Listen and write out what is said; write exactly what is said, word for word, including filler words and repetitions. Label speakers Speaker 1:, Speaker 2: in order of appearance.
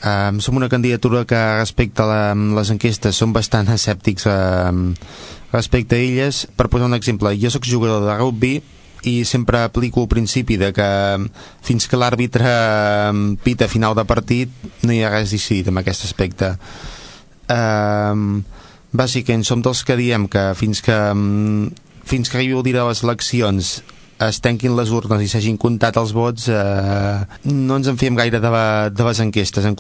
Speaker 1: Um, som una candidatura que respecte a la, les enquestes som bastant escèptics um, respecte a elles. Per posar un exemple, jo sóc jugador de rugby i sempre aplico el principi de que fins que l'àrbitre um, pita final de partit no hi ha res decidit en aquest aspecte. Um, bàsicament som dels que diem que fins que um, fins que arribi el dia de les eleccions es tanquin les urnes i s'hagin comptat els vots, eh, no ens en fiem gaire de, de les enquestes. En